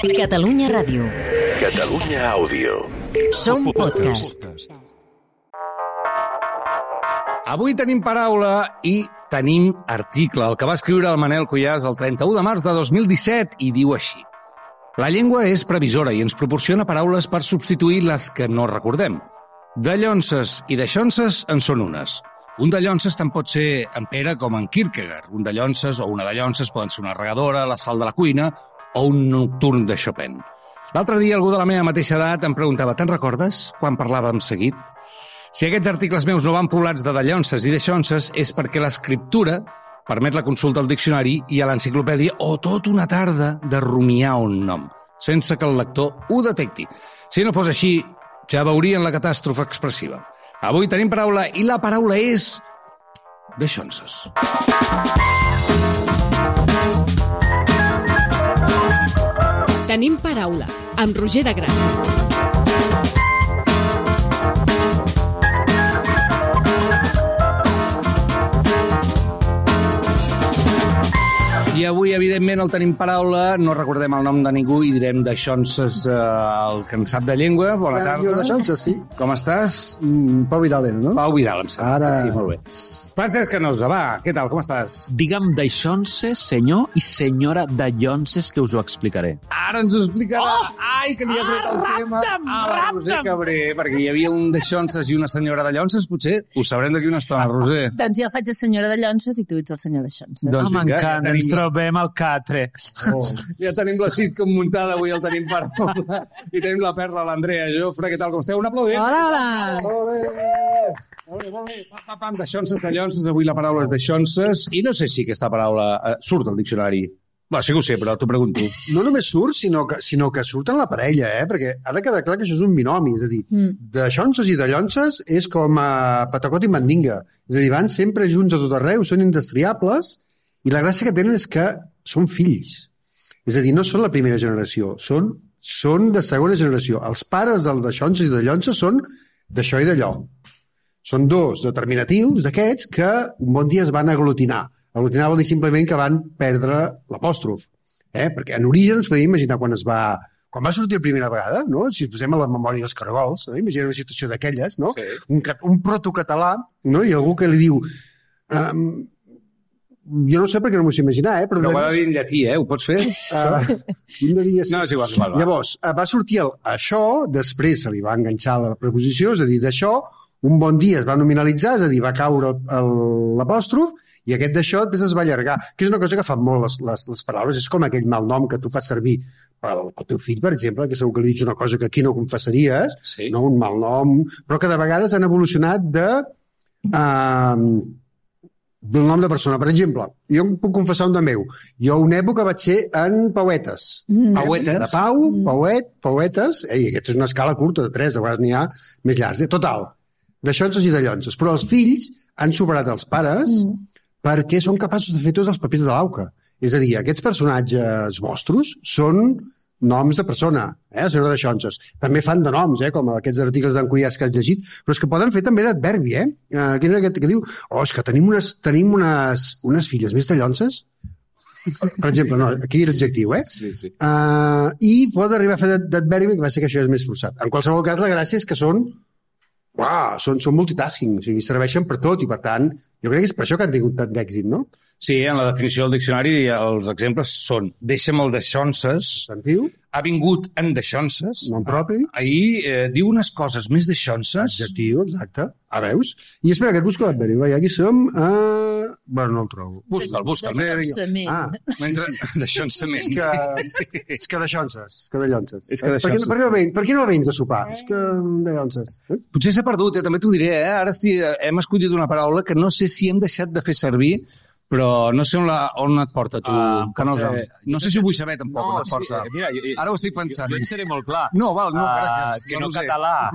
Catalunya Ràdio. Catalunya Àudio. Som podcast. Avui tenim paraula i tenim article, el que va escriure el Manel Cuyàs el 31 de març de 2017 i diu així. La llengua és previsora i ens proporciona paraules per substituir les que no recordem. Dallonses i daixonses en són unes. Un dallonses tant pot ser en Pere com en Kierkegaard. Un dallonses o una dallonses poden ser una regadora, la sal de la cuina o un nocturn de Chopin. L'altre dia algú de la meva mateixa edat em preguntava «Te'n recordes quan parlàvem seguit?» Si aquests articles meus no van poblats de dallonses i daixonses és perquè l'escriptura permet la consulta al diccionari i a l'enciclopèdia o tota una tarda de rumiar un nom, sense que el lector ho detecti. Si no fos així, ja veurien la catàstrofe expressiva. Avui tenim paraula i la paraula és daixonses. Tenim paraula, amb Roger de Gràcia. I avui, evidentment, el tenim paraula, no recordem el nom de ningú i direm daixonses el que en sap de llengua. Bona tarda. Sergio Daixonses, sí. Com estàs? Pau Vidal, no? Pau Vidal, em sembla. Ara... Sí, molt bé. Francesc Canosa, va, què tal, com estàs? Digue'm daixonses, senyor i senyora dallonses, que us ho explicaré. Ara ens ho explicarà. Ai, que li ha tret el tema. La Roser Cabré, perquè hi havia un daixonses i una senyora dallonses, potser ho sabrem d'aquí una estona, Roser. Doncs jo faig de senyora Dallonses i tu ets el senyor Daixonses. Doncs m'encanta, ens trobem al catre. Ja tenim la sitcom muntada, avui el tenim paraula. I tenim la Perla, l'Andrea Jofre. Què tal, com esteu? Un aplaudiment. Hola! Molt bé. Pam, daixonses, avui la paraula és daixonses. I no sé si aquesta paraula surt al diccionari. Bé, sí que ho sé, però t'ho pregunto. No només surt, sinó que surt en la parella, perquè ha de quedar clar que això és un binomi. És a dir, daixonses i dallonses és com patacot i mandinga. És a dir, van sempre junts a tot arreu, són indestriables, i la gràcia que tenen és que són fills. És a dir, no són la primera generació, són de segona generació. Els pares del daixonses i dallonses són d'això i d'allò. Són dos determinatius d'aquests que un bon dia es van aglutinar. Aglutinar vol dir simplement que van perdre l'apòstrof. Perquè en origen ens podem imaginar quan va sortir la primera vegada, no? Si ens posem a la memòria dels caragols, no? Imagina una situació d'aquelles, no? Sí. Un protocatalà, no? I algú que li diu... jo no sé per què no m'ho sé imaginar, però... No ho ha de dir en llatí, ho pots fer? Devia ser. No, és igual. Llavors, va sortir això, després se li va enganxar la preposició, és a dir, d'això, un bon dia es va nominalitzar, és a dir, va caure l'apòstrof, i aquest d'això després es va allargar, que és una cosa que fan molt les paraules, és com aquell mal nom que tu fas servir pel teu fill, per exemple, que segur que li dius una cosa que aquí no confessaries, sí. No un mal nom, però que de vegades han evolucionat del nom de persona. Per exemple, jo em puc confessar un de meu. Jo una època vaig ser en Pauetes. Pauetes? De Pau, Pauetes, i aquesta és una escala curta, de 3, de vegades n'hi ha més llargs. Total, daixonses i dallonses. Però els fills han superat els pares perquè són capaços de fer tots els papers de l'auca. És a dir, aquests personatges vostres són noms de persona, senyora Daixonses. També fan de noms, com aquests articles d'en Cuyàs que has llegit, però és que poden fer també d'adverbi, Quin és aquest que diu, és que tenim unes filles més dallonses? Per exemple, no, aquí és adjectiu, Sí. I pot arribar a fer d'adverbi, que va ser que això és més forçat. En qualsevol cas, la gràcia és que són multitasking, o sigui, serveixen per tot, i per tant, jo crec que és per això que han tingut tant d'èxit, no? Sí, en la definició del diccionari els exemples són deixa'm el daixonses, ha vingut en daixonses, nom propi, ahir diu unes coses més daixonses. Adjectiu, exacte. Veus? I espera, que et busco l'adverbi. Aquí som a... Bueno, no el trobo. Busca'l. Daixonsament. És que daixonses. Per què no vens a sopar? És que daixonses. Potser s'ha perdut, també t'ho diré. Ara hem escollit una paraula que no sé si hem deixat de fer servir, però no sé on et porta, tu, Canosa. No sé si ho vull saber, tampoc, on et porta. Mira, ara ho estic pensant. Jo et seré molt clar. No, gràcies. Que no català.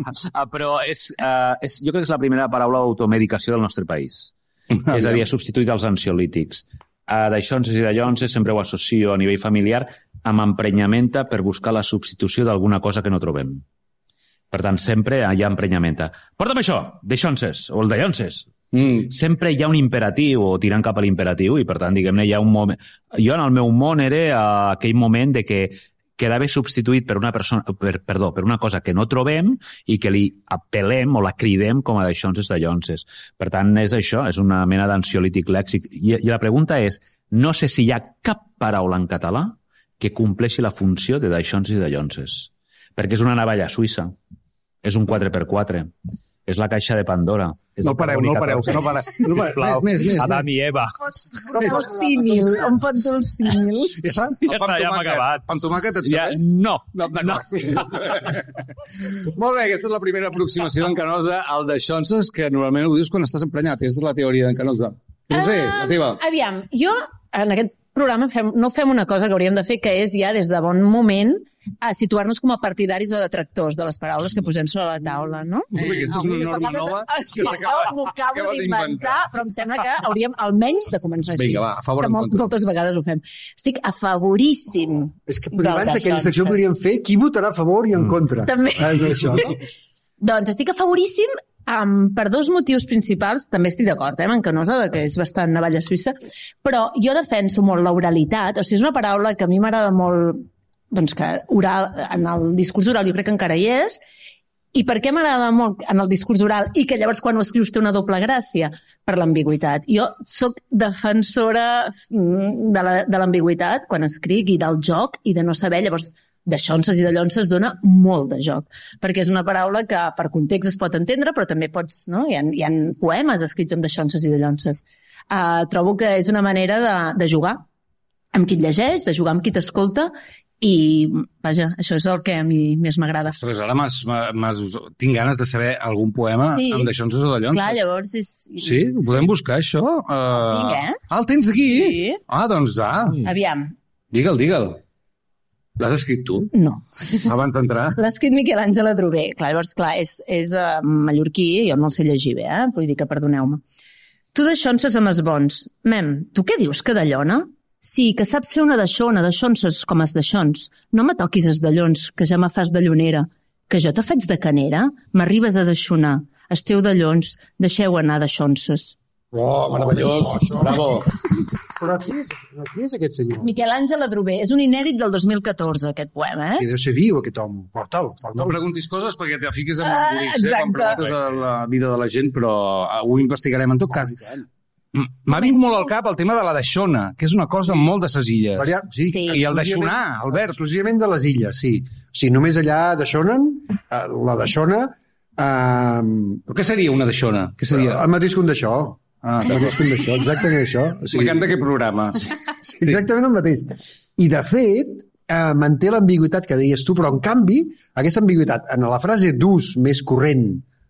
Però jo crec que és la primera paraula d'automedicació del nostre país. És a dir, ha substituït els ansiolítics. Daixonses i dallonses sempre ho associo a nivell familiar amb emprenyamenta per buscar la substitució d'alguna cosa que no trobem. Per tant, sempre hi ha emprenyamenta. Porta'm això, daixonses, o el dallonses. Sempre hi ha un imperatiu o tirant cap a l'imperatiu i per tant, diguem-ne, hi ha un moment... Jo en el meu món era aquell moment de que quedava substituït per una cosa que no trobem i que li apel·lem o la cridem com a daixonses dallonses. Per tant, és això, és una mena d'ansiolític lèxic. I la pregunta és, no sé si hi ha cap paraula en català que compleixi la funció de daixonses i dallonses. Perquè és una navalla suïssa, és un 4x4, és la caixa de Pandora. No pareu. Sisplau, més. Adam i Eva. El símil, on pot dur el símil? Ja està, ja hem acabat. Amb tomàquet et Ja, serveix? no. D'acord. Molt bé, aquesta és la primera aproximació d'en Canosa al daixonses, que normalment ho dius quan estàs emprenyat. Aquesta és la teoria d'en Canosa. No sé, la teva. Aviam, jo en aquest programa no fem una cosa que hauríem de fer, que és ja des de bon moment a situar-nos com a partidaris o detractors de les paraules que posem sobre la taula, no? Aquesta és una norma nova Sí, això m'ho acabo d'inventar, però em sembla que hauríem almenys de començar així. Vinga, va, a favor o que en contra. moltes vegades ho fem. Estic a favoríssim. És que abans aquella secció podríem fer qui votarà a favor i en contra. També. Això, no? Doncs estic a favoríssim per dos motius principals. També estic d'acord, amb en Canosa, que és bastant navalla suïssa, però jo defenso molt l'oralitat. O sigui, és una paraula que a mi m'agrada molt, doncs que oral, en el discurs oral jo crec que encara hi és. I per què m'agrada molt en el discurs oral i que llavors quan ho escrius té una doble gràcia? Per l'ambigüitat. Jo sóc defensora de l'ambigüitat quan escric i del joc i de no saber, llavors daixonses i dallonses dona molt de joc, perquè és una paraula que per context es pot entendre, però també pots, no? Hi ha poemes escrits amb daixonses i dallonses. Trobo que és una manera de jugar amb qui et llegeix, de jugar amb qui t'escolta, i, vaja, això és el que a mi més m'agrada. Ostres, ara tinc ganes de saber algun poema amb daixonses o dallonses. Clar, llavors és... Sí? Podem buscar això? Vinga. El tens aquí? Sí. Doncs va. Aviam. Digue'l. L'has escrit tu? No. Abans d'entrar? L'ha escrit Miquel Àngel Adrover. Clar, llavors, és mallorquí, jo no el sé llegir bé, vull dir que perdoneu-me. Tu daixonses amb els bons. Mem, tu què dius, que dallona? Sí, que saps fer una daixona, daixonses com els daixons. No me toquis els dallons, que ja me fas dallonera. Que jo te faig de canera? M'arribes a daixonar. Esteu dallons, deixeu anar daixonses. Oh, meravellós. Bravo. Però qui és aquest senyor? Miquel Àngel Adrover. És un inèdit del 2014, aquest poema, Que deu ser viu, aquest home. Porta'l. No preguntis coses perquè te fiques en embolics, quan exacte. preguntes de la vida de la gent, però ho investigarem en tot cas. M'ha vingut molt al cap el tema de la daixona, que és una cosa molt de ses illes. Sí. I el daixonar, Albert. Exclusivament de les illes, sí. O sigui, només allà daixonen, la daixona... Però què seria una daixona? Què seria? El mateix que un d'això. El mateix que un d'això, exactament això. O sigui, M'encanta aquest programa. exactament el mateix. I, de fet, manté l'ambigüitat que deies tu, però, en canvi, aquesta ambigüitat, en la frase d'ús més corrent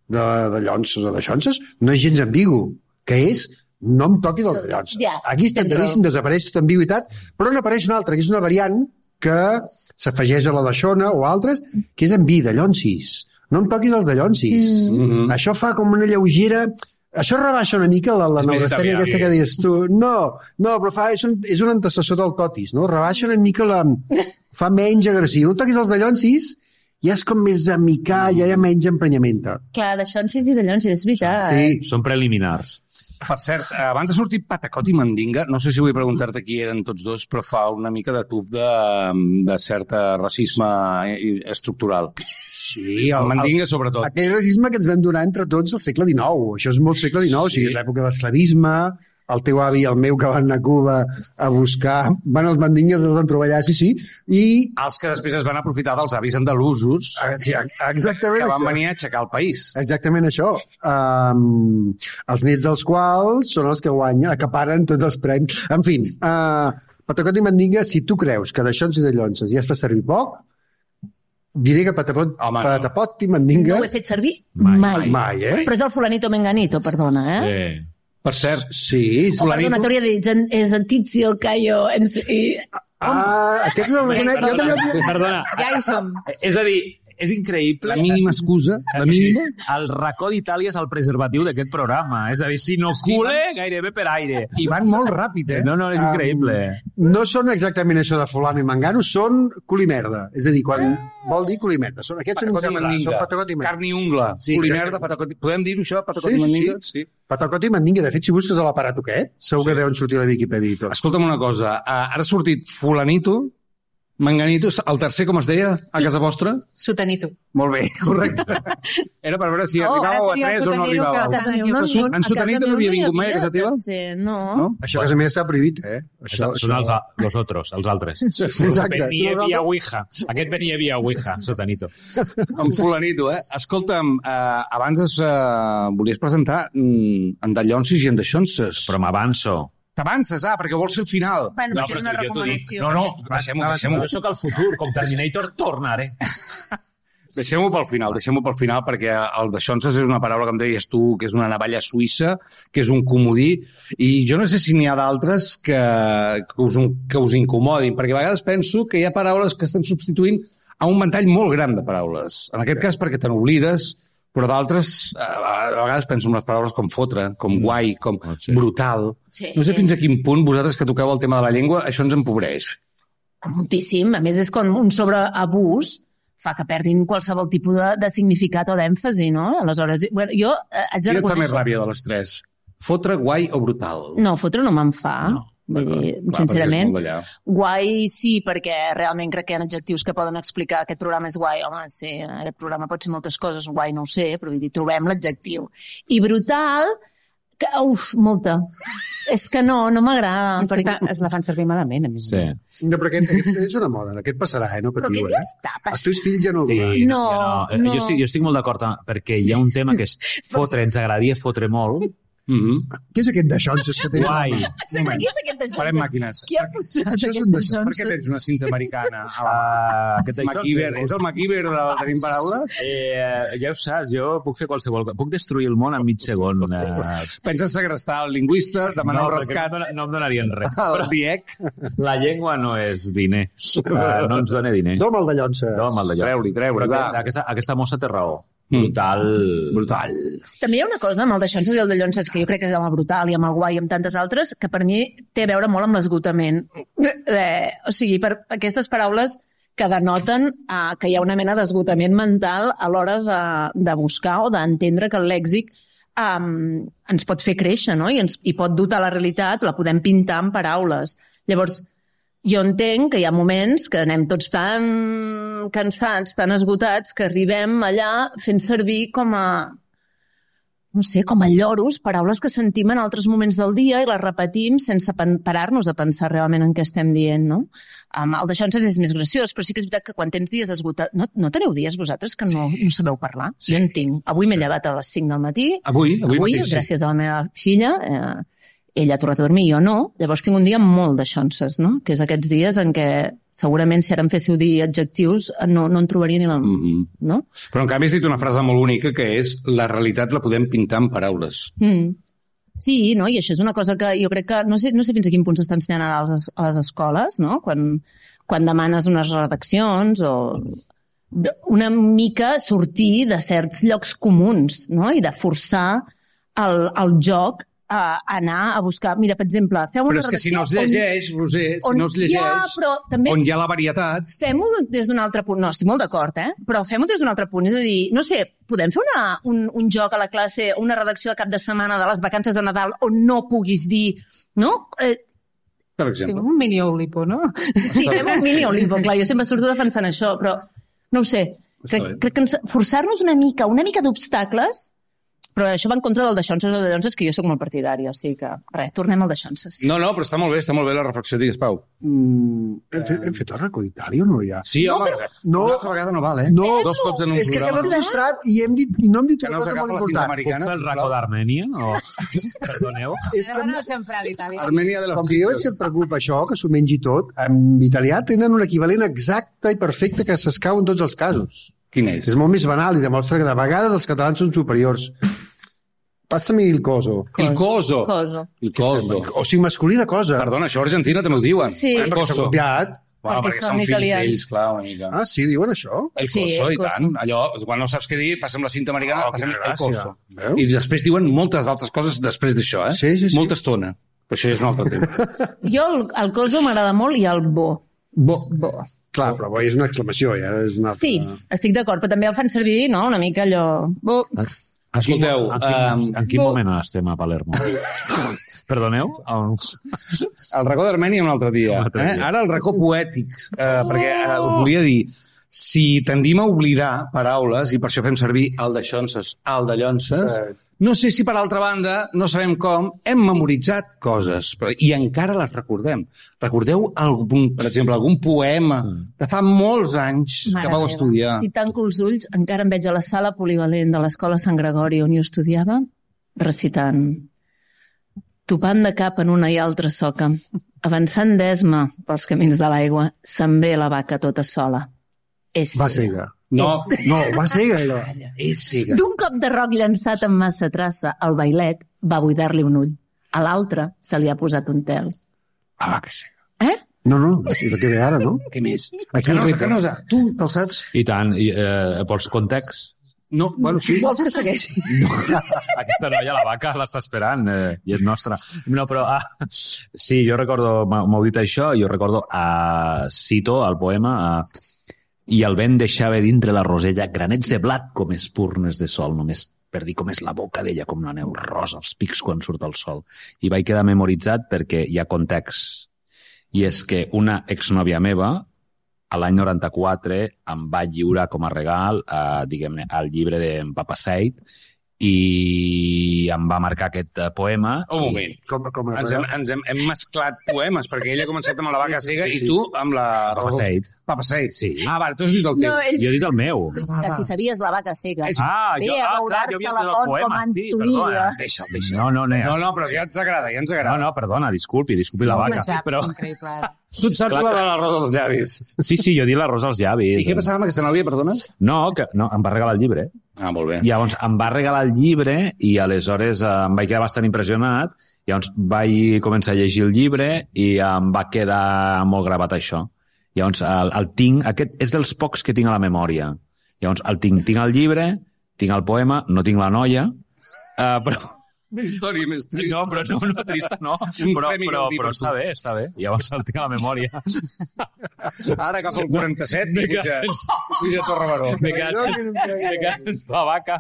de llonses o daixonses, no és gens ambigu, que és no em toquis els dallonses. Ja, Aquí instantànissim desapareix tota ambigüitat, però n'apareix una altra, que és una variant que s'afegeix a la daixona o altres, que és en vi, dallonsis. No em toquis els dallonsis. Això fa com una lleugera... Això rebaixa una mica la neurastènia aquesta que deies tu. No, però és un antecessor del totis, no? Rebaixa una mica fa menys agressiu. No toquis els dallonsis, ja és com més amical, ja hi ha menys emprenyamenta. Clar, daixonsis i dallonsis, és veritat. Sí. Són preliminars. Per cert, abans de sortir Patacot i Mandinga, no sé si vull preguntar-te qui eren tots dos, però fa una mica de tuf de cert racisme estructural. Sí, El Mandinga, sobretot. Aquell racisme que ens vam donar entre tots al segle XIX. Això és molt segle XIX, o sigui, és l'època de l'esclavisme, el teu avi i el meu que van anar a Cuba a buscar... els mandingues els van trobar allà, sí, i... Els que després es van aprofitar dels avis andalusos Sí, exactament que van això. venir a aixecar el país. Exactament això. Els nets dels quals són els que guanyen, acaparen tots els premis. En fi, Patacot i Mandinga, si tu creus que d'aixons i de llonses ja es fa servir poc, diré que Patapot i Mandinga... No ho he fet servir Mai. Mai, Però és el fulanito menganito, perdona, Sí. Per cert, Sí. O perdona, t'hauria dit, és Antizio, Caio... Aquest és el reconec. Jo també... Perdona. Ja hi som. És a dir, és increïble. la mínima excusa, la mínima... El racó d'Itàlia és el preservatiu d'aquest programa. És a dir, si no cule, gairebé per aire. I van molt ràpid, eh? No, és increïble. No són exactament això de fulano i mangano, són culimerda. És a dir, quan vol dir culimerda. Aquests són Patacot i Mandinga. Són Patacot i Mandinga. Carn i ungla. Sí, Culimerda, Patacot i... Podem dir-ho, això? Patacot i Mandinga? Sí. Patacot i Mandinga. De fet, si busques a l'aparato aquest, segur que deuen sortir a la Viquipèdia i tot. Escolta'm una cosa. Ara ha sortit fulanito Manganito, el tercer, com es deia, a casa vostra? Sotanito. Molt bé, correcte. Era per veure si arribàveu a 3 o no arribàveu. En Sotanito no havia vingut mai a casa teva? No. Això a casa meva està prohibit, Són els otros, els altres. Exacte. Venia via Ouija. Aquest venia via Ouija, Sotanito. En fulanito, Escolta'm, abans volies presentar en Dallonsis i en Daixonses. Però m'avanço. T'avances, perquè vols fer el final. Bueno, perquè és una recomanació. No, Deixem-ho. Jo sóc el futur, com Terminator, tornaré. Deixem-ho pel final, perquè el Daixonses és una paraula que em deies tu, que és una navalla suïssa, que és un comodí, i jo no sé si n'hi ha d'altres que us incomodin, perquè a vegades penso que hi ha paraules que estan substituint a un ventall molt gran de paraules. En aquest cas perquè te n'oblides, però d'altres, a vegades penso en les paraules com fotre, com guai, com brutal. Sí. No sé fins a quin punt vosaltres que toqueu el tema de la llengua, això ens empobreix. Moltíssim. A més, és com un sobreabús fa que perdin qualsevol tipus de significat o d'èmfasi, no? Aleshores, jo haig de Quina et fa més reconèixer... ràbia de les tres? Fotre, guai o brutal? No, fotre no me'n fa. Vull dir, sincerament, guai sí, perquè realment crec que hi ha adjectius que poden explicar aquest programa és guai. Home, sí, aquest programa pot ser moltes coses, guai no ho sé, però vull dir, trobem l'adjectiu. I brutal, que, molta. És que no m'agrada. Perquè es la fan servir malament, a més. Sí. No, però aquest és una moda, aquest passarà, no Però patiu, aquest ja està passant. Els teus fills ja no ho diuen. Sí, No. Jo estic molt d'acord, perquè hi ha un tema que és fotre, ens agradaria fotre molt. Què és aquest Daixonses que tenen? Guai. Sí, però qui és aquest Daixonses? Farem màquines. Qui ha posat Això és aquest un Per què Daixonses? tens una cinta americana? Aquest MacGyver. És el MacGyver de Tenim Paraules? Ja ho saps, jo puc fer qualsevol cosa. Puc destruir el món en mig segon. Penses segrestar el lingüista, demanar un rescat No em donarien res. al DIEC? La llengua no és diner. No ens dona diner. Dom el Dallonses. Treure-li, Però va. aquesta mossa té raó. Brutal. També hi ha una cosa amb el Daixonses i el Dallonses que jo crec que és amb el brutal i amb el guai i amb tantes altres que per mi té a veure molt amb l'esgotament. O sigui, per aquestes paraules que denoten que hi ha una mena d'esgotament mental a l'hora de buscar o d'entendre que el lèxic ens pot fer créixer, no? I pot dotar la realitat, la podem pintar amb paraules. Llavors, jo entenc que hi ha moments que anem tots tan cansats, tan esgotats, que arribem allà fent servir com a lloros, paraules que sentim en altres moments del dia i les repetim sense parar-nos a pensar realment en què estem dient, no? El Daixonses és més graciós, però sí que és veritat que quan tens dies esgotats... No teniu dies vosaltres que no sabeu parlar? Jo en tinc. Avui m'he llevat a les 5 del matí. Avui mateix, gràcies a la meva filla, ella ha tornat a dormir, jo no. Llavors tinc un dia molt Daixonses, no? Que és aquests dies en què segurament si ara em féssiu dir adjectius no en trobaria ni la... no? Però en canvi has dit una frase molt única que és la realitat la podem pintar amb paraules. Sí, no? I això és una cosa que jo crec que... No sé fins a quin punt s'està ensenyant ara a les escoles, no? Quan demanes unes redaccions o una mica sortir de certs llocs comuns, no? I de forçar el joc a anar a buscar... Mira, per exemple, fem una redacció... Però és que si no es llegeix, Roser, on hi ha la varietat... Fem-ho des d'un altre punt. No, estic molt d'acord, però fem-ho des d'un altre punt. És a dir, no sé, podem fer un joc a la classe, una redacció de cap de setmana de les vacances de Nadal on no puguis dir... No? Per exemple. Un mini Oulipo, no? Sí, fem un mini Oulipo, clar. Jo sempre surto defensant això, però no ho sé. Crec que forçar-nos una mica d'obstacles. Però això va en contra del Daixonses o Dallonses, que jo sóc molt partidari, o sigui que, res, tornem al Daixonses. No, però està molt bé la reflexió, digues, Pau. Hem fet el recorditari o no ja? Sí, home, una altra vegada no val, No, 2 cops en un és que programa. hem frustrat i no hem dit Que una no us cosa agafa molt la cinta important. Puc fer el raco d'Armènia? Perdoneu? És que No sempre a l'Itàlia. Armènia de les com que jo veig que et preocupa això, que s'ho mengi tot, en italià tenen un equivalent exacte i perfecte que s'escau en tots els casos. Quin és? És molt més banal i demostra que de vegades els catalans són superiors. Passa-me il coso. El coso. El coso. O sigui, masculí de cosa. Perdona, això a Argentina també ho diuen. Sí. El Perquè s'ha coso. copiat. Bueno, Perquè perquè són són fills italians. d'ells, clar, una mica. Ah, sí, diuen això? El Sí, coso, el i coso. tant. Allò, quan no saps què dir, passem la cinta americana, passem quina el coso. gràcia. Veu? I després diuen moltes altres coses després d'això, Sí. Molta estona. Però això és un altre tema. Jo el coso m'agrada molt i el bo. Bo. Bo. Clar, però és una exclamació, ja és una altra... Sí, estic d'acord, però també el fan servir, no?, una mica allò... Bo. Escolteu, En quin moment estem a Palermo? Perdoneu? el racó d'Armènia un altre dia. Ara el racó poètic, perquè us volia dir, si tendim a oblidar paraules, i per això fem servir el de Xonses, el de Llonses, no sé si per altra banda, no sabem com, hem memoritzat coses i encara les recordem. Recordeu, per exemple, algun poema de fa molts anys que vau estudiar? Si tanco els ulls, encara em veig a la sala polivalent de l'Escola Sant Gregori on jo estudiava, recitant: topant de cap en una i altra soca, avançant d'esma pels camins de l'aigua, se'n ve la vaca tota sola. Va cega. No, va cega. És cega. D'un cop de roc llançat amb massa traça, el bailet va buidar-li un ull. A l'altre se li ha posat un tel. La vaca cega. No, és el que ve ara, no? Què més? Canosa. Tu te'l saps? I tant, vols context? No, bueno, sí. Vols que segueixi? No, aquesta noia, la vaca, l'està esperant i és nostra. No, però sí, jo recordo, m'heu dit això, jo recordo, cito el poema, i el vent deixava dintre la rosella granets de blat com espurnes de sol, només per dir com és la boca d'ella, com la neu rosa, els pics quan surt el sol. I vaig quedar memoritzat perquè hi ha context. I és que una exnòvia meva, a l'any 94, em va lliurar com a regal, diguem-ne, el llibre d'en Papa Seid, i em va marcar aquest poema. Un moment. Ens hem mesclat poemes, perquè ella ha començat amb la vaca cega i tu amb la... Papa Seid. Papa Seid, sí. Va, tu has dit el teu. Jo he dit el meu. Que si sabies la vaca cega. Ve jo a beurar-se la font com en Suïlla. Deixa'l. No, però ja ens agrada, No, perdona, disculpi la vaca. Però... Tu et saps la de l'arròs als llavis. Sí, jo he dit l'arròs als llavis. I què passava amb aquesta nòvia, perdona? No, em va regalar el llibre. Ah, molt bé. Llavors, em va regalar el llibre i aleshores em vaig quedar bastant impressionat. Llavors, vaig començar a llegir el llibre i em va quedar molt gravat això. Llavors, el tinc... Aquest és dels pocs que tinc a la memòria. Llavors, tinc el llibre, tinc el poema, no tinc la noia, però... Una història més trista. No, però no trista, no. Però està bé. Llavors el tinc a la memòria. Ara agafa el 47 i puja a Torre Baró. Me quedat la vaca.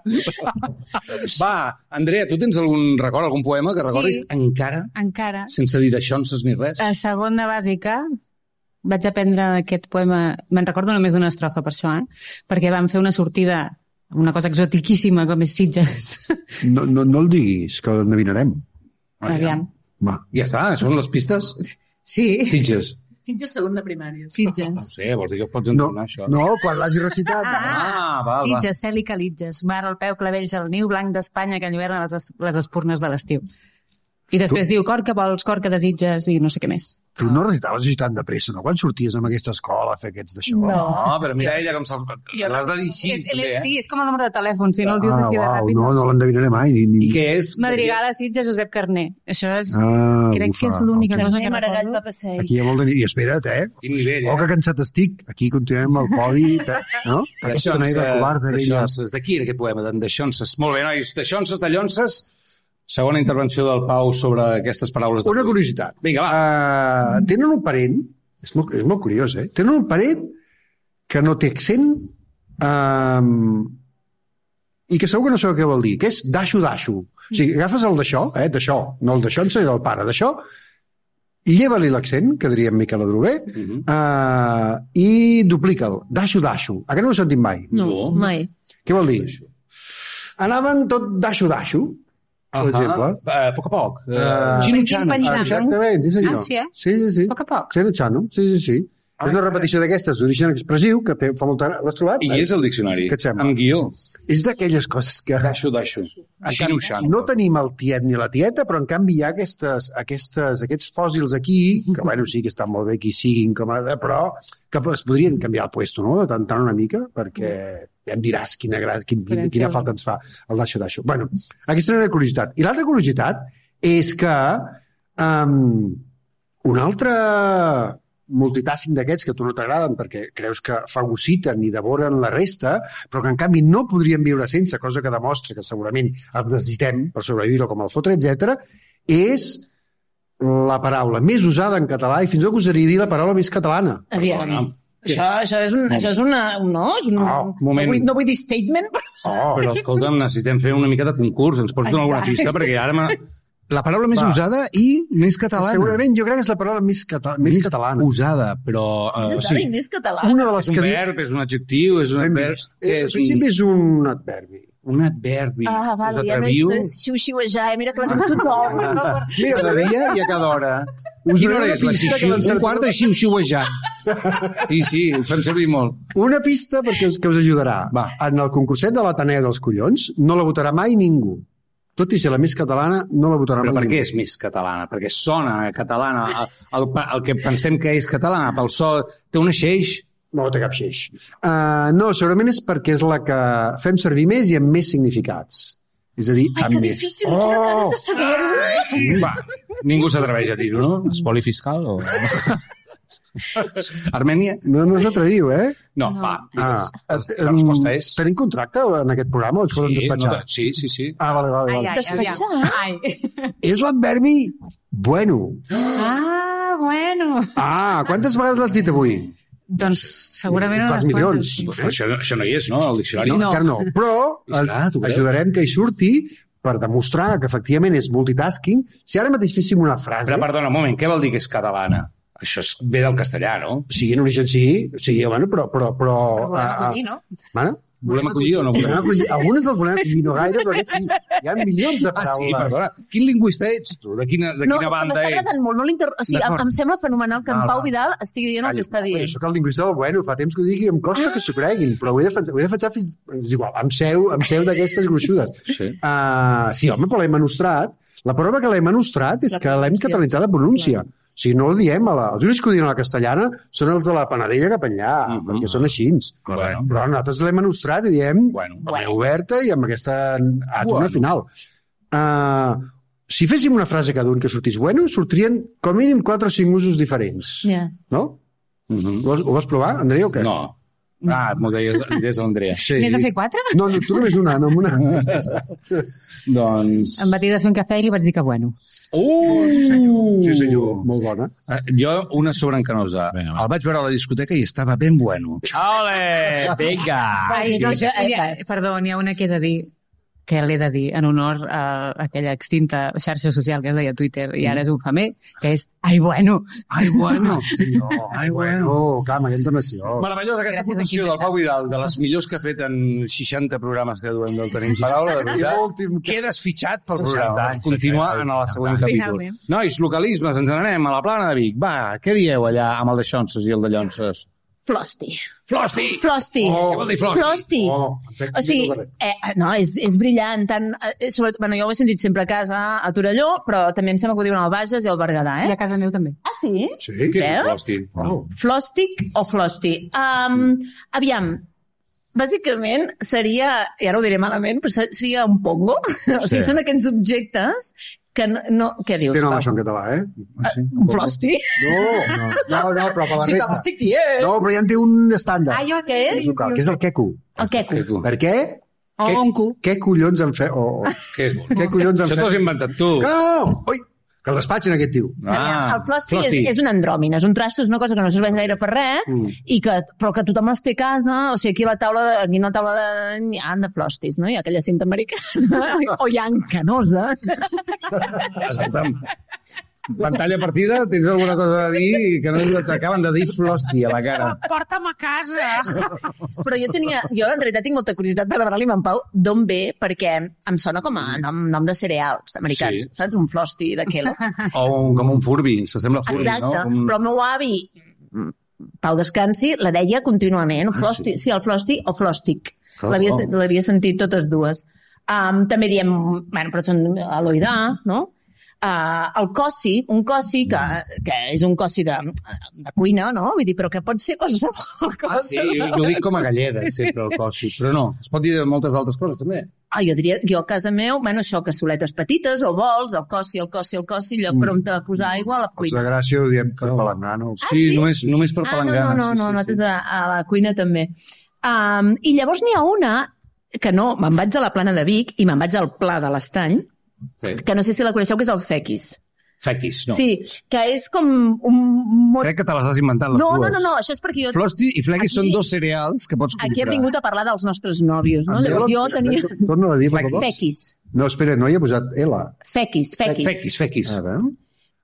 Va, Andrea, tu tens algun record, algun poema que recordis encara? Encara. Sense dir de Xonses ni res? A segon de bàsica vaig aprendre aquest poema, me'n recordo només d'una estrofa per això, perquè vam fer una sortida, una cosa exotiquíssima com és Sitges. No el diguis, que l'endevinarem. Aviam. Va. Ja està, són les pistes? Sí. Sitges. Sitges segon de primària. No Sitges. sé, vols dir que pots entonar això? No, quan l'hagi recitat. Va. Sitges, cel i calitges, mar al peu, clavells al niu, blanc d'Espanya que enlluerna les espurnes de l'estiu. I després diu, cor que vols, cor que desitges, i no sé què més. Tu no recitaves així tan de pressa, no? Quan sorties amb aquesta escola a fer aquests d'això? No, però mira ella com se'l... L'has de dir així. Sí, és com el número de telèfon, si no el dius així de ràpid. No l'endevinaré mai. I què és? Madrigal a Sitges, Josep Carner. Això és... Crec que és l'única cosa que Maragall, recordo. Papa Seid. Aquí hi ha molt de... I espera't, Quin nivell, que cansat estic. Aquí continuem amb el podi, no? Aquesta manera de covards de Xonses. D'aquí era aquest poema, de Xonses. Molt bé, nois, de Xonses, de Llonses. Segona intervenció del Pau sobre aquestes paraules. Una curiositat. Vinga, va. Tenen un parent, és molt curiós, tenen un parent que no té accent i que segur que no sabeu què vol dir, que és daixo. O sigui, agafes el d'això, d'això, no el d'això, en el pare, d'això, i lleva-li l'accent, que diríem Miquel Adrover, i duplica'l, daixo. A què no ho he sentit mai? No, mai. Què vol dir? Anaven tot daixo, per exemple. A poc a poc. Xino-xano. Exactament, sí senyor. Sí? Sí. A poc a poc. Xino-xano, sí. És una repetició d'aquestes d'origen expressiu que fa molta... L'has trobat? I és el diccionari. Què et sembla? Amb guió. És d'aquelles coses que... Daixo. Xino-xano. No tenim el tiet ni la tieta, però en canvi hi ha aquests fòssils aquí, que bueno, sí que estan molt bé que hi siguin, però que es podrien canviar el puesto, no? De tant una mica, perquè ja em diràs quina falta ens fa el daixo. Bueno, aquesta era una curiositat. I l'altra curiositat és que un altre multitasking d'aquests que a tu no t'agraden perquè creus que fagociten i devoren la resta, però que en canvi no podríem viure sense, cosa que demostra que segurament els necessitem per sobreviure com el fotre, etc., és la paraula més usada en català i fins i tot gosaria dir la paraula més catalana. Aviam. Això és una... No, és un... moment. No vull dir statement, però... Però escolta'm, necessitem fer una mica de concurs. Ens pots donar alguna pista? Perquè ara... La paraula més usada i més catalana. Segurament, jo crec que és la paraula més catalana. Usada, però... És usada i més catalana. Una de les És un verb, és un adjectiu, és un adverb... Al principi és un adverbi. Un adverbi. Val, ja no és xiu-xiuejar, mira que la diu tothom. Mira, cada dia i a cada hora. Quina hora és la xiu-xiu? Un quart de xiu-xiuejar. Sí, ho fem servir molt. Una pista perquè que us ajudarà. Va. En el concurset de l'Ateneu dels Collons no la votarà mai ningú. Tot i ser la més catalana, no la votarà mai Però per ningú. què és més catalana? Perquè sona catalana. El que pensem que és catalana, pel so, té un eixeix. No té cap xeix. No, segurament és perquè és la que fem servir més i amb més significats. És a dir, Ai, que difícil, quines ganes de saber-ho. Va, ningú s'atreveix a dir-ho, no? Espoli fiscal o... Armènia? No s'atreviu, eh? No, va, digues. La resposta és... Tenim contracte en aquest programa o ens poden despatxar? Sí. Vale. Ai. És l'adverbi bueno. Bueno. Quantes vegades l'has dit avui? Doncs segurament Fas unes milions. quantes. Això no hi és, no? El diccionari. No, encara no. Però tu creus? ajudarem que hi surti per demostrar que efectivament és multitasking. Si ara mateix féssim una frase... Però perdona, un moment, què vol dir que és catalana? Això ve del castellà, no? Sí, en origen sí, bueno, però... no? Bueno, Volem acollir o no volem? Algunes les volem acollir, no gaire, però aquests sí. Hi ha milions de paraules. Sí, perdona. Quin lingüista ets tu? De quina banda ets? M'està agradant molt. O sigui, em sembla fenomenal que en Pau Vidal estigui dient el que està dient. Jo soc el lingüista del bueno, fa temps que ho digui, em costa que s'ho creguin, però ho he defensat fins... És igual, amb seu d'aquestes gruixudes. Sí. Sí, home, però l'hem enostrat. La prova que l'hem enostrat és que l'hem catalanitzat de pronúncia. Si no el diem, els únics que ho diuen a la castellana són els de la Panadella cap enllà, perquè són així. Bueno. Però nosaltres l'hem enostrat i diem oberta i amb aquesta àtona final. Si féssim una frase cada un que sortís bueno, sortirien com a mínim 4 o 5 usos diferents. No? Ho vas provar, Andrea, o què? No. M'ho deies l'Andrea. Sí. N'he de fer 4? No, tu només una, no amb una. Doncs... Em va dir de fer un cafè i li vaig dir que bueno. Sí, senyor, molt bona. Jo, una sobreencanosa. El vaig veure a la discoteca i estava ben bueno. Ole, vinga! Perdó, n'hi ha una que he de dir que l'he de dir en honor a aquella extinta xarxa social que es deia Twitter i ara és un famer, que és ai bueno. Ai, bueno, senyor. Ai, bueno. Clar, amb aquesta entonació. Meravellosa aquesta aportació del Pau Vidal, de les millors que ha fet en 60 programes que duem del Tenim Paraula, de veritat. Quedes fitxat pel programa. Continua en el següent capítol. Nois, localismes, ens n'anem a la Plana de Vic. Va, què dieu allà amb el de Xonses i el de Llonses? Flosti. Què vol dir flosti? O sigui, no, és brillant. Bueno, jo ho he sentit sempre a casa, a Torelló, però també em sembla que ho diuen al Bages i al Berguedà, I a casa meu també. Ah, sí? Sí, què és flosti? Flòstic o flosti? Aviam, bàsicament seria, i ara ho diré malament, però seria un pongo. O sigui, són aquests objectes que no... Què dius? Té nom això en català, Un flosti? No, però per la Sí, que resta... l'estic dient. No, però ja en té un estàndard. Què és? Que és el queco. El queco. Per què? Què collons han fet? Què és bo? Què collons han Això fet? t'ho has inventat tu. No! Ui! Que el despatxin aquest tio. El flosti és un andròmin, és un trasto, és una cosa que no serveix gaire per res, però que tothom els té a casa, o sigui, aquí a la taula hi ha de flostis, no? Hi ha aquella cinta americana, o hi ha encanosa. Escolta'm, pantalla partida, tens alguna cosa a dir que no t'acaben de dir flosti a la cara. Porta'm a casa! Però jo en realitat tinc molta curiositat per demanar-li a en Pau d'on ve, perquè em sona com a nom de cereals americans, saps? Un flosti de Kellogg. O com un Furby, s'assembla a Furby, no? Exacte, però el meu avi, Pau Descansi, la deia contínuament, flosti, sí, el flosti o flòstic. L'havia sentit totes dues. També diem, bueno, però són aloidà, no? El cossi, un cossi que és un cossi de cuina, no? Vull dir, però que pot ser qualsevol cosa. Sí, jo dic com a galleda, sempre, el cossi, però no, es pot dir de moltes altres coses, també. Jo a casa meu, bueno, això, cassoletes petites o bols, el cossi, lloc per on te posar aigua a la Els cuina. de Gràcia ho diem per palangrar, no? Sí, només per palangrar. No, nosaltres a la cuina també. I llavors n'hi ha una que no, me'n vaig a la Plana de Vic i me'n vaig al Pla de l'Estany, que no sé si la coneixeu, que és el fequis. Fequis, no. Sí, que és com un... Crec que te les has inventat, les dues. No, això és perquè jo... Flosti i Flequis són dos cereals que pots comprar. Aquí he vingut a parlar dels nostres nòvios, no? Llavors jo tenia... Torna a dir, per favor. Fequis. No, espera, no hi ha posat L. Fequis. Fequis. A veure...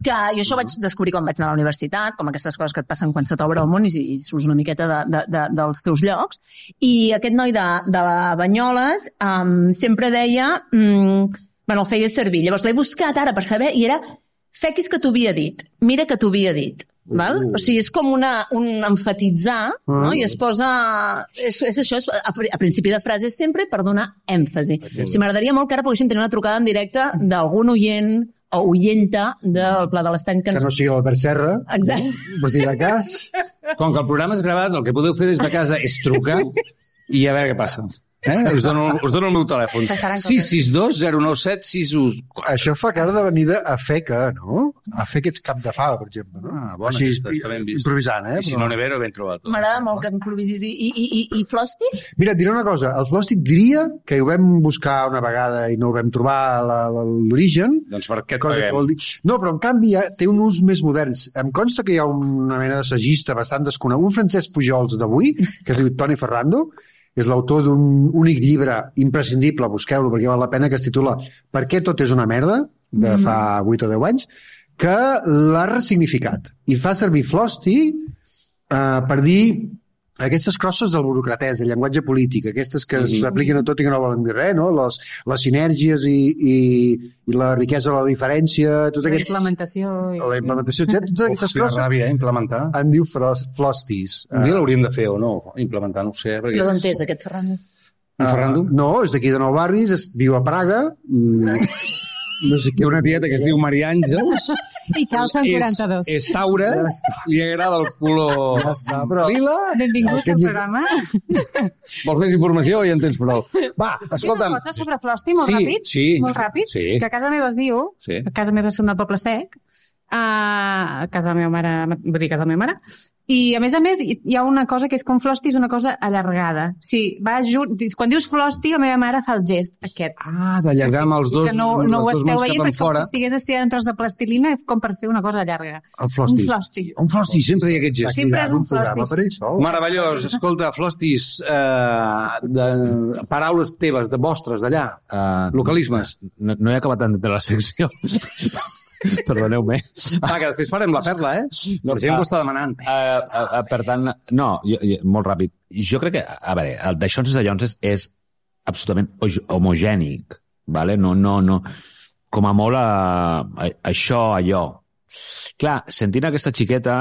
Que jo això ho vaig descobrir quan vaig anar a la universitat, com aquestes coses que et passen quan se t'obre el món i surts una miqueta dels teus llocs. I aquest noi de Banyoles sempre deia... el feia servir. Llavors l'he buscat ara per saber i era fequis que t'ho havia dit. Mira que t'ho havia dit. Val? O sigui, és com un emfatitzar, no? I es posa... És això, a principi de frase sempre per donar èmfasi. O sigui, m'agradaria molt que ara poguéssim tenir una trucada en directe d'algun oient o oienta del Pla de l'Estany Que no sigui l'Albert Serra. Exacte. Per si de cas. Com que el programa és gravat, el que podeu fer des de casa és trucar i a veure què passa. Us dono el meu telèfon. 662 097 61. Això fa cara de venida a Feca, no? A Feca ets cap de fava, per exemple. No? Bona, així, està ben vist. improvisant, I si no Nevero, ben trobat. M'agrada molt que improvisis. I Flosti? Mira, et diré una cosa. El Flosti diria que ho vam buscar una vegada i no ho vam trobar l'origen. Doncs per què et cosa paguem? No, però en canvi té un ús més modern. Em consta que hi ha una mena d'assagista bastant desconegut, un Francesc Pujols d'avui, que es diu Toni Ferrando, és l'autor d'un únic llibre imprescindible, busqueu-lo perquè val la pena, que es titula Per què tot és una merda, de fa 8 o 10 anys, que l'ha ressignificat i fa servir Flosti per dir aquestes crosses del burocratès, del llenguatge polític, aquestes que s'apliquen a tot i que no volen dir res, no? Les sinèrgies i la riquesa de la diferència, tot aquest... La implementació, etc. Totes aquestes crosses ràbia, implementar. En diu Flostis. Un dia l'hauríem de fer o no? Implementar, no ho sé. I d'on és aquest Ferrando? Ferrando? No, és d'aquí de Nou Barris, viu a Praga. No sé què. Una tieta que es diu Maria Àngels. I calcen 42. És taura, li agrada el color lila. Benvingut al programa. Vols més informació o ja en tens prou? Va, escolta'm. Una cosa sobre Flosti, molt ràpid. Molt ràpid. Sí. Que a casa meva es diu, a casa meva són de Poble Sec, a casa de la meva mare, vull dir, casa de la meva mare, i a més, hi ha una cosa que és com Flosti és una cosa allargada. O sigui, quan dius Flosti, la meva mare fa el gest aquest. D'allargar amb els dos que no ho esteu veient, però és com si estigués estirant un tros de plastilina com per fer una cosa llarga. Un Flosti. Un Flosti, sempre hi ha aquest gest. Sempre és un Flosti. Meravellós. Escolta, Flostis, paraules teves, de vostres, d'allà, localismes. No he acabat d'entendre la secció. Perdoneu-me. Va, que després farem la perla, La gent ho està demanant. Per tant, no, molt ràpid. Jo crec que, a veure, el d'Aixonses de Llonses és absolutament homogènic, vale? No, com a molt això, allò. Clar, sentint aquesta xiqueta,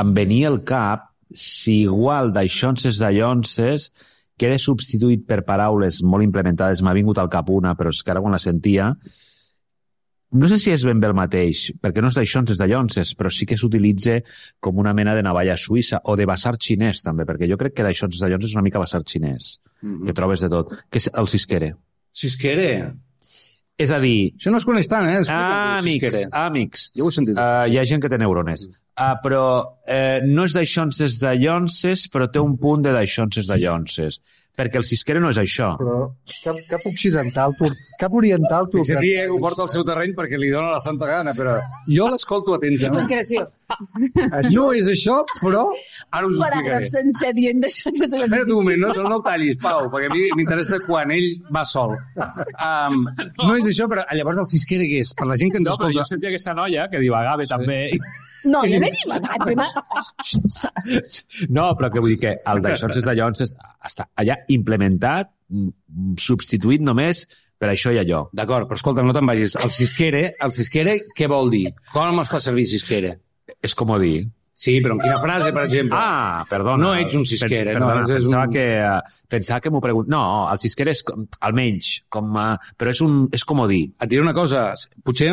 em venia al cap si igual d'Aixonses de Llonses queda substituït per paraules molt implementades, m'ha vingut al cap una, però és que ara quan la sentia... No sé si és ben bé el mateix, perquè no és d'Aixonses de Llonses, però sí que s'utilitza com una mena de navalla suïssa, o de basar xinès, també, perquè jo crec que d'Aixonses de Llonses és una mica basar xinès, que trobes de tot. Què és el cisquere? Cisquere? És a dir... Això no es coneix tant, Amics. Jo ho he sentit. Hi ha gent que té neurones. Però no és d'Aixonses de Llonses, però té un punt de d'Aixonses de Llonses. Perquè el cisquere no és això. Però cap occidental, cap oriental... Fixa, ho porta al seu terreny perquè li dona la santa gana, però jo l'escolto atentament. No és això, però ara us ho explicaré. Paràgraf sencer dient d'això. Espera't un moment, no el tallis, Pau, perquè a mi m'interessa quan ell va sol. No és això, però llavors el cisquere què és? Per la gent que ens escolta... Jo sentia aquesta noia que divagava també... No, jo no he divagat. No, però que vull dir que el d'Aixonses de Llonses està allà implementat, substituït només per això i allò. D'acord, però escolta, no te'n vagis. El cisquere, què vol dir? Com es fa servir cisquere? És com dir. Sí, però en quina frase, per exemple? Perdona. No ets un cisquere. Pensava que m'ho pregunt... No, el cisquere és, almenys, però és com dir. Et diré una cosa, potser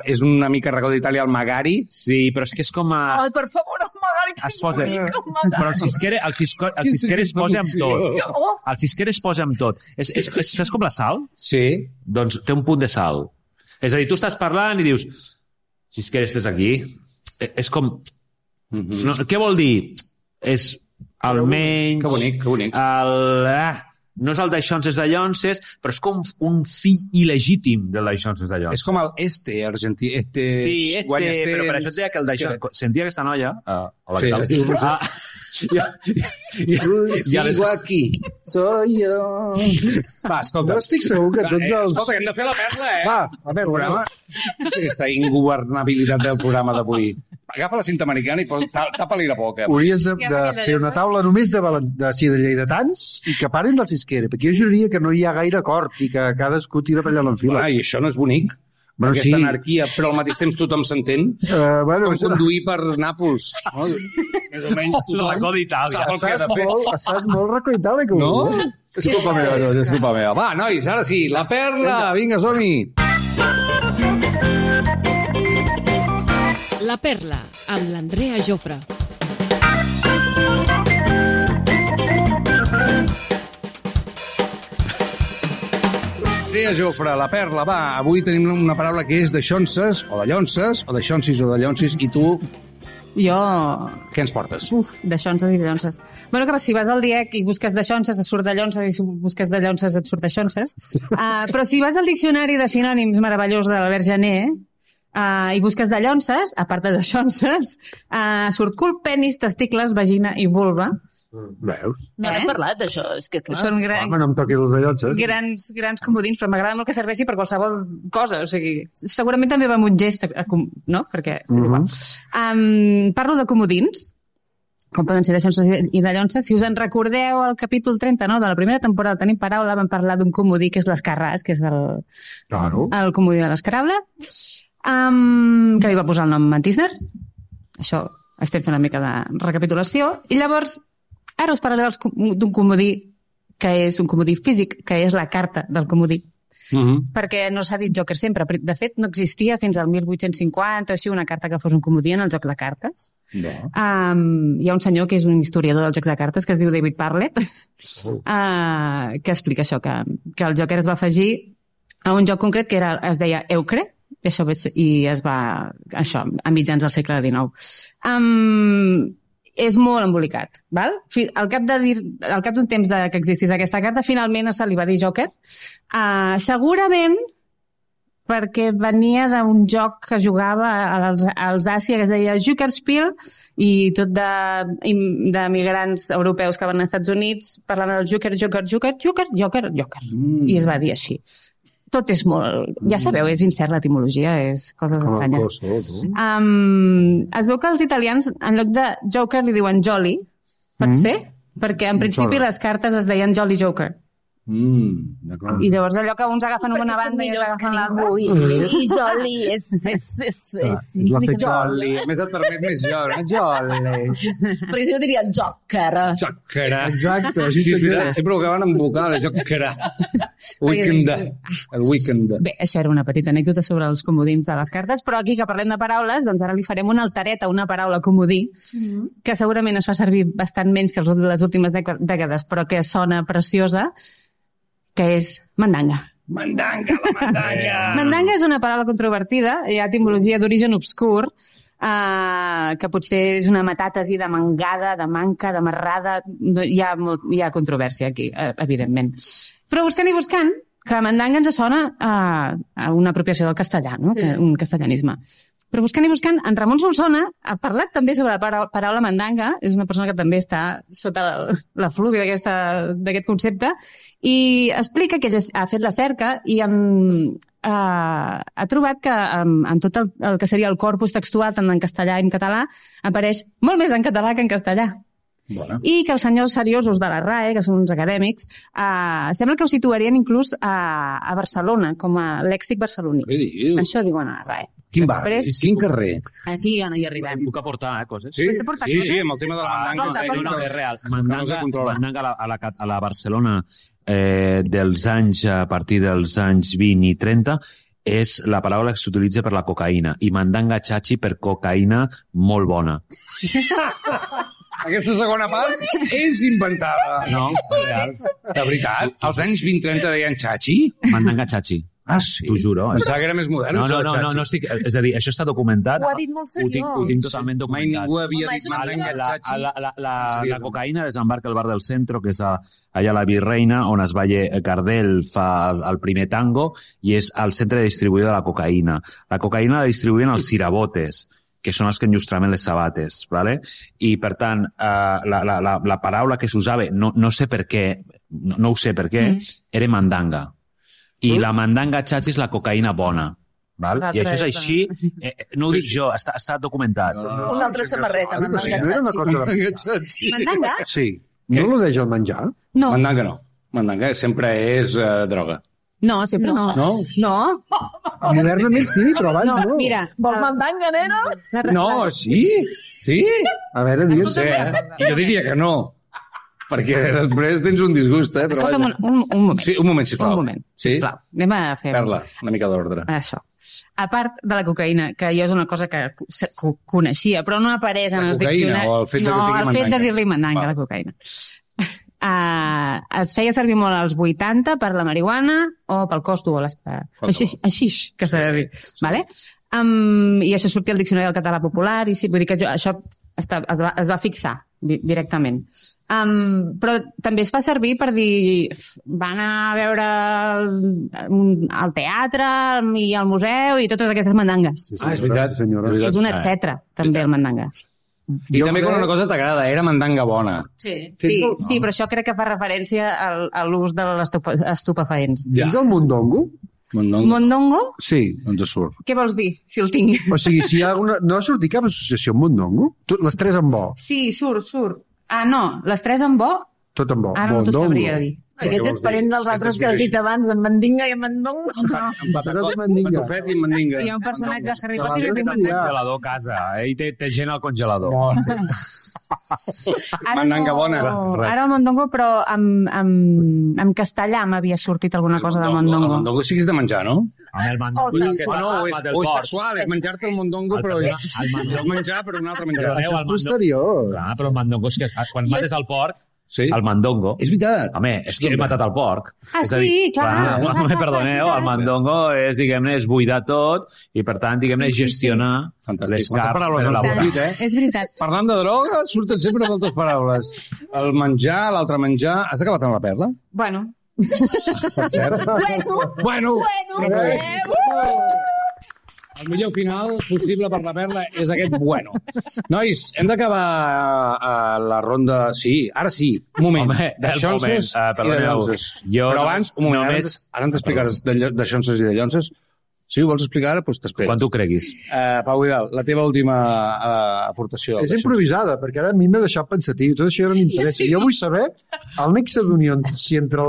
és una mica recó d'Itàlia el magari. Sí, però és que és com Ai, per favor, el magari, que es posa... Però el cisquere es posa amb tot. El cisquere es posa amb tot. Saps com la sal? Sí. Doncs té un punt de sal. És a dir, tu estàs parlant i dius cisquere, estàs aquí. És com... No, què vol dir? És almenys... Que bonic. No és el d'aixonses dallonses, però és com un fill il·legítim del d'aixonses dallonses. És com el argentí. Sí, però per això et deia que el d'aixonses... Sentia aquesta noia... Sigo aquí, soy yo. Va, escolta. No estic segur que tots els... Escolta, que hem de fer la perla, Va, a veure, programa. No sé aquesta ingovernabilitat del programa d'avui. Agafa la cinta americana i tapa-li la boca. Hauries de fer una taula només de lleidatans i que paren del Sisquera, perquè jo juraria que no hi ha gaire acord i que cadascú tira per allà l'enfila. I això no és bonic. Bueno, aquesta sí. anarquia, però al mateix temps tothom s'entén. Bueno, com conduir per Nàpols. No? Més o menys. El racó d'Itàlia. Estàs molt racó d'Itàlia. No? És culpa meva, és culpa meva. Va, nois, ara sí, la perla. Vinga, som-hi. La perla, amb l'Andrea Jofre. Andrea Jofre, la perla, va. Avui tenim una paraula que és d'aixonses, o dallonses, o d'aixonsis o dallonsis, i tu, Jo... què ens portes? D'aixonses i dallonses. Bueno, que si vas al DIEC i busques d'aixonses, et surt dallonses, i si busques dallonses, et surt d'aixonses. Però si vas al diccionari de sinònims meravellós de l'Albert Janer i busques dallonses, a part de d'aixonses, surt cul, penis, testicles, vagina i vulva. Veus? No n'hem parlat d'això, és que clar. Són Home, no em toquis els dallonses. grans comodins, però m'agrada molt que serveixi per qualsevol cosa. O sigui, segurament també va amb un gest, no? Perquè és igual. Parlo de comodins, com poden ser d'aixonses i dallonses. Si us en recordeu, al capítol 39 de la primera temporada Tenim Paraula, vam parlar d'un comodí que és l'escarràs, que és el comodí de l'escarable, que li va posar el nom Mantisner. Això estem fent una mica de recapitulació. I llavors, ara us parlaré d'un comodí que és un comodí físic, que és la carta del comodí. Perquè no s'ha dit joker sempre. De fet, no existia fins al 1850 així una carta que fos un comodí en el joc de cartes. Hi ha un senyor que és un historiador dels jocs de cartes que es diu David Parlett, que explica això, que el joker es va afegir a un joc concret que es deia Eucre, i es va... això, a mitjans del segle XIX. És molt embolicat, val? Al cap d'un temps que existís aquesta carta, finalment se li va dir Joker. Segurament perquè venia d'un joc que jugava als Àsia, que es deia Jokerspiel, i tot de migrants europeus que van als Estats Units parlaven del Joker. I es va dir així. Tot és molt... Ja sabeu, és incert l'etimologia, és coses estranyes. Es veu que els italians, en lloc de Joker, li diuen Jolly. Pot ser? Perquè en principi les cartes es deien Jolly Joker. I llavors allò que uns agafen una banda i ells agafen l'altra. I Jolly és Jolly. Més et permet més Jolly. Però jo diria Joker. Joker. Exacte. Sí, és veritat. Sempre ho acaben amb vocal, Joker. Weekend. El weekend. Bé, això era una petita anècdota sobre els comodins de les cartes, però aquí que parlem de paraules, doncs ara li farem una altereta, una paraula comodí, que segurament es fa servir bastant menys que les últimes dècades, però que sona preciosa, que és mandanga. Mandanga, la mandanga! Mandanga és una paraula controvertida, hi ha etimologia d'origen obscur, que potser és una metàtesi de mangada, de manca, de marrada, hi ha controvèrsia aquí, evidentment. Però buscant i buscant, que mandanga ens sona a una apropiació del castellà, no? Un castellanisme. Però buscant i buscant, en Ramon Solsona ha parlat també sobre la paraula mandanga, és una persona que també està sota la flúvia d'aquest concepte, i explica que ell ha fet la cerca i ha trobat que en tot el que seria el corpus textual, tant en castellà i en català, apareix molt més en català que en castellà. Bona. I que els senyors seriosos de la RAE, que són uns acadèmics, sembla que ho situarien inclús a Barcelona, com a lèxic barceloní. Això diuen a la RAE. Quin barri? Quin carrer? Aquí ja no hi arribem. Puc aportar coses? Sí, amb el tema de la mandanga. És real. Mandanga a la Barcelona dels anys, a partir dels anys 20 i 30, és la paraula que s'utilitza per la cocaïna, i mandanga chachi per cocaïna molt bona. Aquesta segona part és inventada. No, real. De veritat? Als anys 20-30 deien chachi? Mandanga chachi. Ah, sí? T'ho juro. Pensava que era més modern. No, estic... És a dir, això està documentat. Ho ha dit molt seriós. Ho tinc totalment Mai documentat. ningú havia dit mandanga al Chachi. La cocaïna desembarca al bar del Centro, que és allà a la Virreina, on es balla Gardel fa el primer tango, i és el centre distribuïdor de la cocaïna. La cocaïna la distribuïen els cirabotes, que són els que enllustraven les sabates, ¿vale? I, per tant, la paraula que s'usava, no sé per què, no ho sé per què, era mandanga. I la mandanga Chachi és la cocaïna bona. Val? I això és així, no ho dic jo, està documentat. Una altra samarreta, mandanga No era una Chachi. cosa de... Mandanga? Sí. No l'odeix el menjar? No. Mandanga no. Mandanga sempre és droga. No, sempre no. No? No. Modernament sí, però abans no. Mira, Vols mandanga, nena? No, sí? Sí? A veure, No digues... sé, Jo diria que no. Perquè després tens un disgust, Però escolta'm vaja. un moment. Sí, un moment, sisplau. Un moment, Sí? sisplau. Anem a fer... Perla, una mica d'ordre. Això. A part de la cocaïna, que jo és una cosa que coneixia, però no apareix en La els cocaïna diccionaris. o el fet de que es digui el fet de mandanga? dir-li mandanga, Val. la cocaïna. Es feia servir molt als 80 per la marihuana o pel costo o així que s'ha de dir. Vale? I això sortia al diccionari del català popular i sí, vull dir que això es va fixar directament. Però també es fa servir per dir van a veure el teatre i el museu i totes aquestes mandangues. Ah, és veritat, senyora. És veritat. És un etcètera, també, el mandanga. I també quan una cosa t'agrada, era mandanga bona. Sí, però això crec que fa referència a l'ús de les estupefaents. Ja. És el mondongo? Mondongo? Sí. Doncs surt. Què vols dir, si el tinc? O sigui, si hi ha alguna... No ha sortit cap associació amb mondongo? Les tres en bo. Sí, surt. Ah, no, les tres en bo, Tot en bo. ara no t'ho Mondongo. sabria dir. Aquest és parent dels altres que has dit abans, en mandinga i en mandongo. Però de mandinga. Patufet i mandinga. Hi ha un personatge de Harry De Potter que es diu l'altre Mandanga. Congelador a casa, i té gent al congelador. Mandanga bona. Ara el mondongo, però en castellà m'havia sortit alguna cosa de El mondongo. mondongo sí que és de menjar, no? Amb el mandongo. és sexual, és menjar-te el mondongo, però és menjar per un altre menjar. Perdoneu, És posterior. Clar, però el mandongo és que quan mates el porc, Sí. el mandongo... És veritat. Home, és que he matat el porc. Ah, És a dir, sí, clar. Perdoneu, el mandongo és, diguem-ne, és buidar tot i, per tant, diguem-ne, gestionar Fantàstic. les Moltes carns paraules per al elaborar. sentit, És veritat. Parlant de droga, surten sempre moltes paraules. El menjar, l'altre menjar... Has acabat amb la perla? Bueno, Per cert. Bueno. El millor final possible per la perla és aquest bueno. Nois, hem d'acabar la ronda... Sí, ara sí. Un moment. Home, de el xonses moment. i de Perdoneu. llonses. Jo Però abans, un moment, només- ara ens explicaràs de xonses i de llonses. Si ho vols explicar ara, doncs t'esperes. Quan tu creguis. Pau Vidal, la teva última aportació. És improvisada, perquè ara a mi m'ha deixat pensatiu. Tot això ja no m'interessa. Jo vull saber el nexe d'unió entre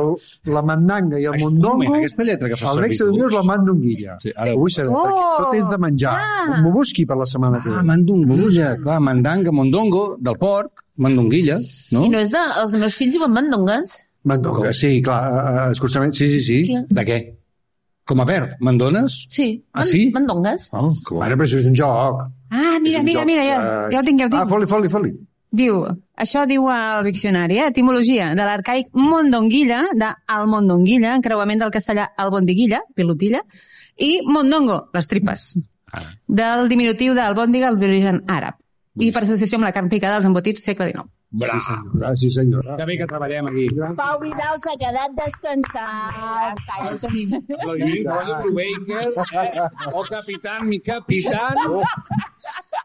la mandanga i el mondongo. Aquesta lletra que fas El nexe d'unió és la mandonguilla. Sí, ara Ho vull saber, perquè tot és de menjar. M'ho busqui per la setmana que ve. mandonguilla, clar, mandanga, mondongo, del porc, mandonguilla, no? I no és de... Els meus fills diuen mandongues. Mandonga, sí, clar, escursament, sí. Clar. De què? Com a verb, mandones? Sí. Ah, sí? Mandongues. Oh, que bo. Ara, però això és un joc. ah, mira, ja ho tinc. Ah, foli. Diu, això diu al diccionari, etimologia de l'arcaic mondonguilla, de el mondonguilla, encreuament del castellà albondiguilla, pilotilla, i mondongo, les tripes, del diminutiu d'albòndiga d'origen àrab, i per associació amb la carn picada dels embotits segle XIX. Bra. Sí, senyora. Que bé que treballem aquí. Pau Vidal s'ha quedat descansat. Ja ho tenim. Vladimir Baker, o capitán, mi capitán.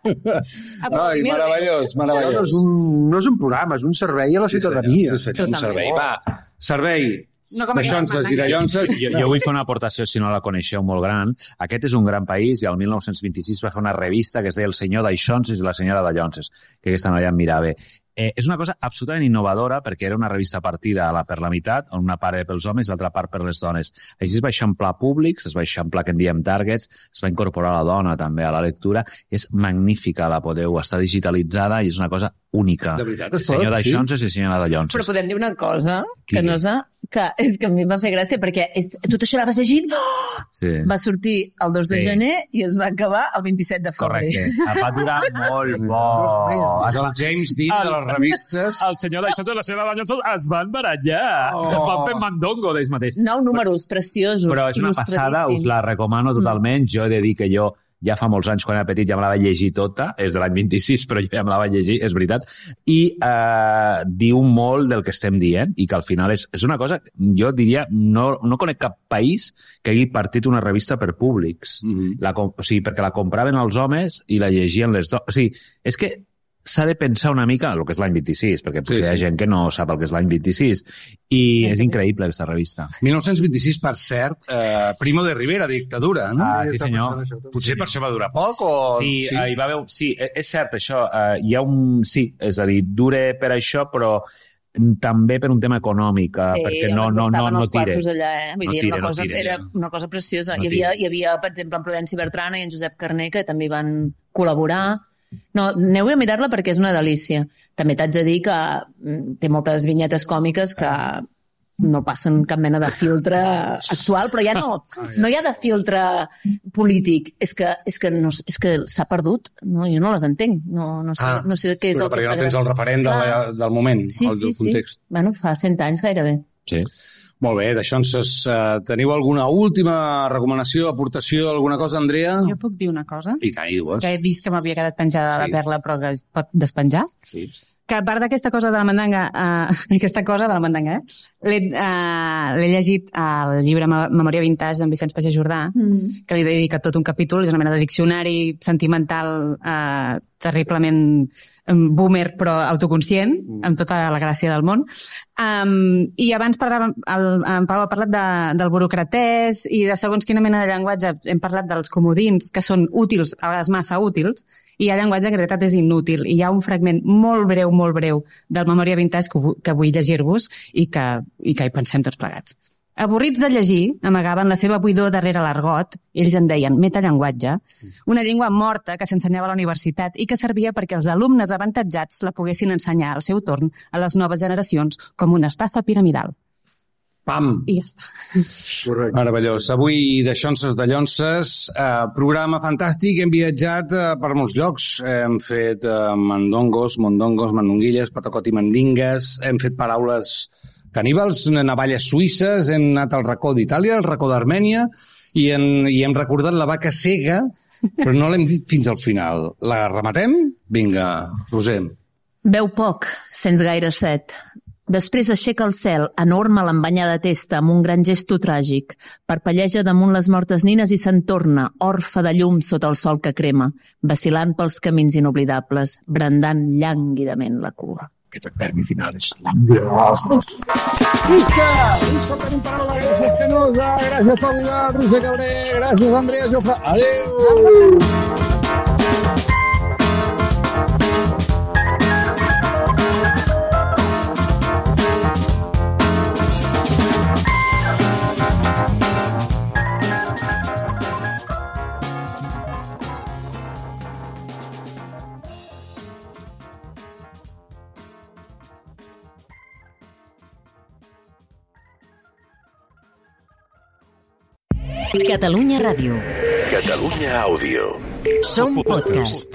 Ai, meravellós, meravellós. No és un programa, és un servei a la ciutadania. Sí, un servei. Va, servei No com de xonses i de llonses. Jo vull fer una aportació, si no la coneixeu, molt gran. Aquest és un gran país i el 1926 va fer una revista que es deia El senyor d'Aixonses i la senyora de Llonses, que aquesta noia em mirava. És una cosa absolutament innovadora perquè era una revista partida per la meitat, on una part era pels homes i l'altra part per les dones. Així es va eixamplar públics, es va eixamplar, que en diem targets, es va incorporar la dona també a la lectura. És magnífica, la podeu, està digitalitzada i és una cosa única. De veritat, es pot, Senyor sí? d'Aixonses i senyora de Llonses. Però podem dir una cosa, que no és que és que a mi em va fer gràcia perquè tu això l'anaves llegint, va sortir el 2 de gener i es va acabar el 27 de febrer. Correcte. Va durar molt bo. El James Dean de les revistes. El senyor d'això de la senyora de Llonsos es van barallar. Van fer mandongo d'ells mateix. 9 números preciosos, però és una passada, us la recomano totalment. Jo he de dir que jo ja fa molts anys, quan era petit, ja me la vaig llegir tota, és de l'any 26, però ja me la vaig llegir, és veritat, i diu molt del que estem dient, i que al final és una cosa, jo diria, no conec cap país que hagi partit una revista per públics. O sigui, perquè la compraven els homes i la llegien les dones. O sigui, és que s'ha de pensar una mica el que és l'any 26, perquè potser hi ha gent que no sap el que és l'any 26, i és increïble aquesta revista. 1926, per cert, Primo de Rivera, dictadura, no? Sí, senyor. Potser per això va durar poc, o... Sí, hi va haver... Sí, és cert, això. Hi ha un... Sí, és a dir, dure per això, però també per un tema econòmic, perquè no tira. Era una cosa preciosa. Hi havia, per exemple, en Prudenci Bertrana i en Josep Carner, que també van col·laborar. No, aneu a mirar-la perquè és una delícia. També t'haig de dir que té moltes vinyetes còmiques que no passen cap mena de filtre actual, però ja no hi ha de filtre polític. És que s'ha perdut. No, jo no les entenc. No sé què és el que fa gràcia. Perquè no tens el referent del moment, del context. Bueno, fa 100 anys gairebé. Sí. Molt bé, d'això teniu alguna última recomanació, aportació, alguna cosa, Andrea? Jo puc dir una cosa? I tant, dius. Que he vist que m'havia quedat penjada la perla, però que es pot despenjar. Sí. Que a part d'aquesta cosa de la mandanga, l'he llegit al llibre Memòria Vintage d'en Vicenç Pagès Jordà, que li he dedicat tot un capítol, és una mena de diccionari sentimental terriblement boomer però autoconscient, amb tota la gràcia del món. I abans en Pau ha parlat del burocratès i de segons quina mena de llenguatge. Hem parlat dels comodins, que són útils, a vegades massa útils, i hi ha llenguatge que en realitat és inútil. I hi ha un fragment molt breu del Memòria Vintage que vull llegir-vos i que hi pensem tots plegats. Avorrits de llegir, amagaven la seva buidor darrere l'argot, ells en deien metallenguatge, una llengua morta que s'ensenyava a la universitat i que servia perquè els alumnes avantatjats la poguessin ensenyar al seu torn a les noves generacions com una estafa piramidal. Pam! I ja està. Correcte. Meravellós. Avui de Xonses de Llonses, programa fantàstic, hem viatjat per molts llocs, hem fet mandongos, mandonguilles, patacot i mandingues, hem fet paraules caníbals, navalles suïsses, hem anat al racó d'Itàlia, al racó d'Armènia, i hem recordat la vaca cega, però no l'hem dit fins al final. La rematem? Vinga, Roser. Beu poc, sents gaire set. Després aixeca el cel, enorme l'embanyada testa, amb un gran gesto tràgic. Parpelleja damunt les mortes nines i se'n torna, orfe de llum sota el sol que crema, vacilant pels camins inoblidables, brandant llànguidament la cua. Aquest verbi final és Visca per un paraula, gràcies Canosa, gràcies Pau Vidal, Roser Cabré, gràcies Andrea Jofre, adéu! Catalunya Ràdio. Catalunya Àudio. Som podcast.